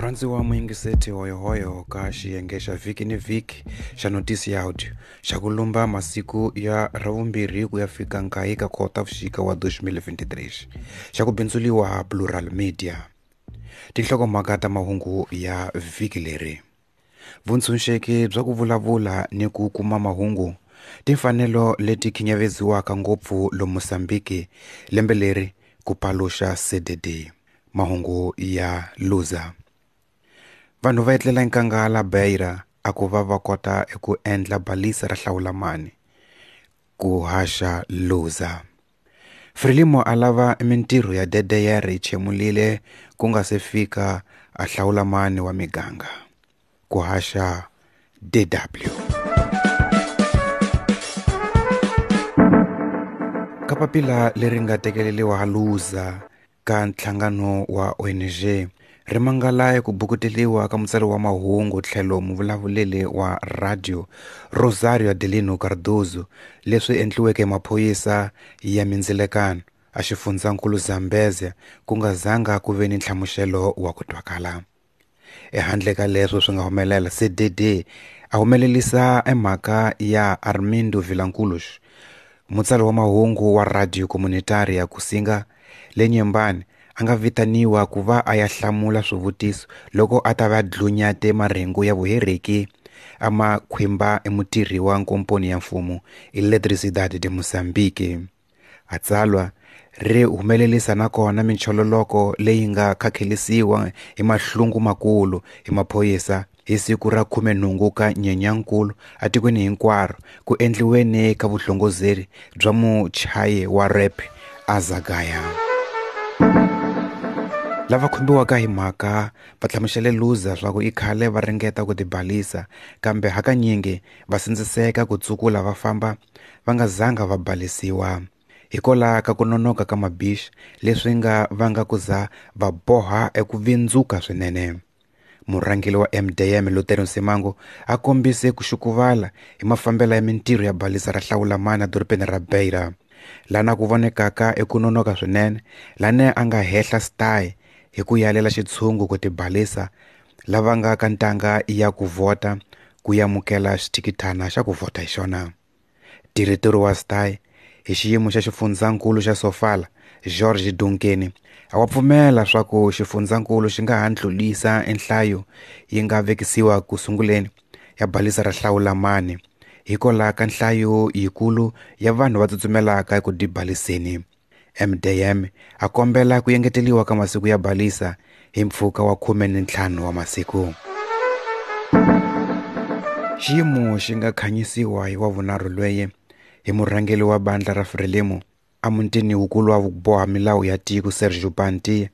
Murhandziwa muyingiseti hoyohoyo ka xiyenge xa vhiki ni vhiki xa notisi ya audio xa ku lumba masiku ya ravumbirhi ku ya fika nkaye ka Khotavuxika wa 2023 xa ku bindzuliwa Plural Media. Tinhlokomhaka ta mahungu ya vhiki leri. Vuntshunxeki bya ku vulavula ni ku kuma mahungu timfanelo leti khinyaveziwaka ngopfu lomu Mozambique lembe leri ku paluxa CDD. Mahungu ya Luza. Vanhu va etlela enkanghala Beira a ku va va kota eku endla balisa ra hlawulamani ku haxa Luza. Frelimo a lava mintirho ya DDR yi chemulile ku nga se fika a hlawulamani wa miganga ku haxa DW. Ka papila leri nga tekeleriwa Luza ka nhlangano wa ONG ri mangala eku bukuteliwa ka mutsari wa mahungu tlhelo muvulavuleli wa radio Rosario Adelino Cardozo leswi endliweke hi maphorisa ya mindzilekano a xifundzankulu Zambezia ku nga zanga ku ve ni nhlamuselo wa ku twakala. Ehandle ka leswo swi nga humelela CDD a humelelisa emhaka ya Armindo Vilanculos mutsari wa mahungu wa radio comunitaria Kusinga le Nyembani a nga vitaniwa ku va a ya hlamula swivutiso loko a ta va dlunyate marhengu ya vuhereki a ma khwimba emutirhi wa nkomponi ya mfumo Eletricidade de Mozambique. A tsalwa ri humelelisa nakona minchololoko leyi nga khakhelisiwa hi mahlungu makulu hi maphorisa hi siku ra 18 ka Nyenyankulu atikweni hinkwaro ku endliweni ka vuhlongozeri bya muchayi wa rap Azagaya. Lava khumbiwaka hi mhaka va hlamusele Luza swa ku i khale va ringeta ku tibalisa kambe hakanyingi va sindziseka ku tsukula va famba va nga zanga va balisiwa. Hikwalaho ka ku nonoka ka mabixi leswi nga vanga ku za va boha eku vindzuka swinene. Murhangeri wa MDM Luther Nsimango a kombise ku xukuvala hi mafambelo ya mintirho ya balisa ra hlawulamani edorobeni ra Beira lana ku vonekaka eku nonoka swinene lana a nga hehla style hi ku yalela xitshungu ku tibalisa lava nga ka ntanga ya ku vhota ku yamukela xithikithana xa ku vhota hi xona. Diretori wa style hi xiyimo xa xifundzankulu xa Sofala George Dunkeni a wa pfumela swa ku xifundzankulu xi nga ha ndlulisa enhlayo yi nga vekisiwa ku sunguleni ya balisa ra hlawulamani hikwalaho ka nhlayo yikulu ya vanhu va tsutsumelaka eku dibaliseni. MDM a kombela ku engeteliwa ka masiku ya balisa hi mpfhuka wa 15 wa masiku. Xiyimo xi nga khanyisiwa hi wa vunharhu lweye hi murhangeri wa bandla ra Frelimo a mutini wukulu wa boha milawu ya tiko Sergio Panti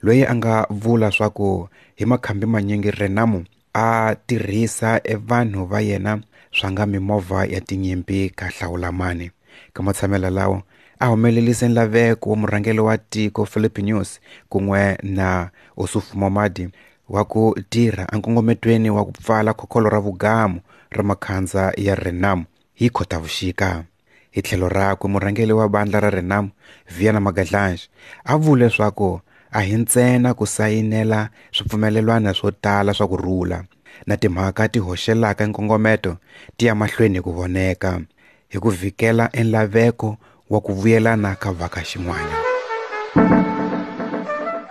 loyi a nga vula swa ku hi makhambi manyingi Renamo a tirhisa evanhu va yena swa nga mimovha ya tinyimpi ka hlawulamani. Ka matshamelo lawo a humelelise nlaveko wa murhangeri wa tiko Philip News kun'we na Ossufo Momadi wa ku tirha enkongometweni wa ku pfala khokholo ra vugamu ra makhandza ya Renamo hi Khotavuxika. Hi tlhelo rakwe murhangeri wa bandla ra Renamo Viana Magadlange a vule leswaku a hi ntsena ku sayinela swipfumelelwana swo tala swa ku rhula na timhaka ti hoxelaka nkongometo ti ya mahlweni ku voneka hi ku vhikela enlaveko wa ku vuyelana ka vhaka xin'wana.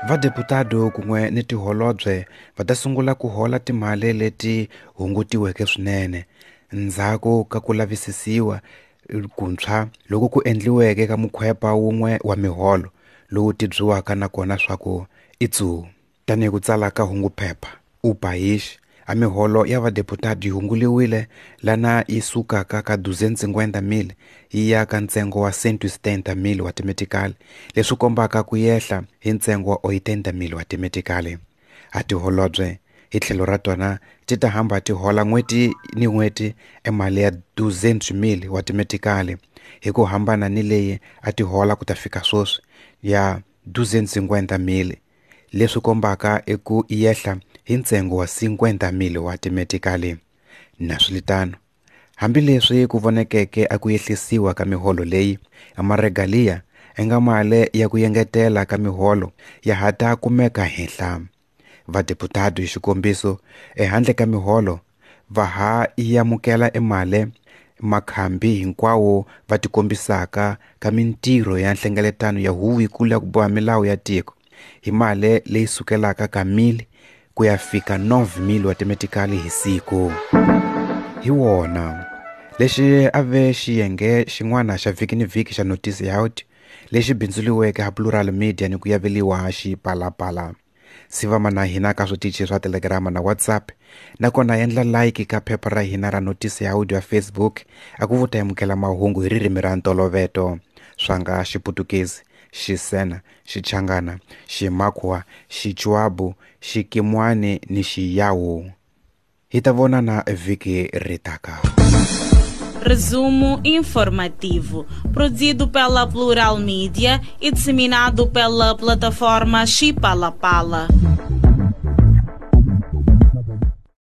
Vadeputado kun'we ni tiholobye va ta sungula ku hola timali leti hungutiweke swinene ndzhaku ka ku lavisisiwa kuntshwa loko ku endliweke ka mukhwepa wun'we wa miholo lowu tibyiwaka nakona swa ku i tsu. Tanihi ku tsala ka hunguphepha uPaís a miholo ya vadeputado yi hunguliwile lana yi sukaka ka 250,000 yi ya ka ntsengo wa 170,000 wa timetikali leswi kombaka ku yehla hi ntsengo wa 80,000 wa timetikali. A tiholobye hi tlhelo ra tona ti ta hamba ti hola n'hweti ni n'hweti emali ya 200,000 wa timetikali hi ku hambana ni leyi a ti hola ku ta fika sweswi ya 250,000 leswi kombaka eku yehla hi ntsengo wa 50,000 wa timetikali. Naswilitano hambileswi ku vonekeke a ku yehlisiwa ka miholo leyi amaregalia enga mali ya ku yengetela ka miholo ya ha ta kumeka henhla. Vadeputado hi xikombiso, ehandle ka miholo, va ha yamukela emali makhambi hinkwawo va tikombisaka ka mintirho ya nhlengeletano ya Huvonkulu ya ku boha milawu ya tiko hi mali leyi sukelaka ka 1 000 ku ya fika 9 000 wa timetikali hi siku. Hi wona lexi a ve xiyenge xin'wana xa vhiki ni vhiki xa Notisi ya Audio lexi bindzuriweke ha Plural Media ni ku yaveliwa Xipalapala. Sivama na hina ka switichi swa Telegram na WhatsApp, nakona endla like ka phepha ra hina ra Notisi ya Audio ya Facebook a ku vuta amukela mahungu hi ririmi ra ntoloveto swa nga Xiputukezi, Xisena, Xichangana, Ximakwa, Xichwabu, Xikimwani ni Xiyawu. Hi ta vonana vhiki ri taka. Resumo informativo, produzido pela Plural Mídia e disseminado pela plataforma Xipalapala.